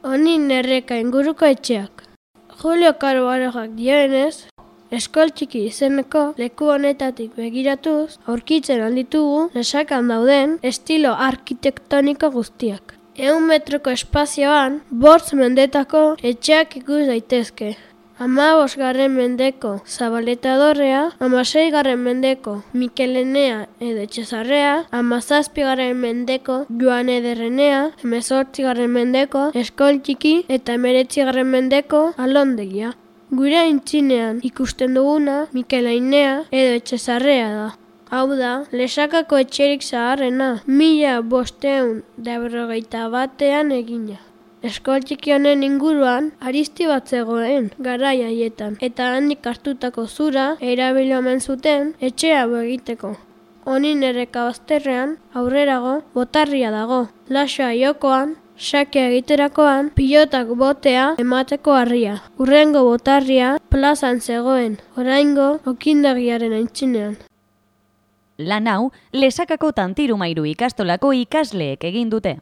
Honin erreka inguruko etxeak. Julio Caro Barojak dioenez, Eskol Txiki izeneko leku honetatik begiratuz, aurkitzen alditugu Lesakan dauden estilo arkitektoniko guztiak. 100 metroko espazioan, 5 mendetako etxeak ikus daitezke. 15. mendeko Zabaleta dorrea, 16. mendeko Mikelenea edo Etxezarrea, 17. mendeko Joan Ederrenea, 18. mendeko Eskol Txiki eta 19. mendeko Alondegia. Gure aintzinean ikusten duguna Mikelainea edo Etxezarrea da. Hau da, Lesakako etxerik zaharrena, 1551 egina. Eskol Txiki honen inguruan aristi bat zegoen garai haietan, eta handik hartutako zura erabili omen zuten etxea egiteko. Honin erreka bazterrean, aurrerago, botarria dago. Lasoa jokoan, sakea egiterakoan, pilotak botea emateko harria. Hurrengo botarria plazan zegoen, oraingo okindegiaren aintzinean. Lan hau, Lesakako Tantirumairu ikastolako ikasleek egin dute.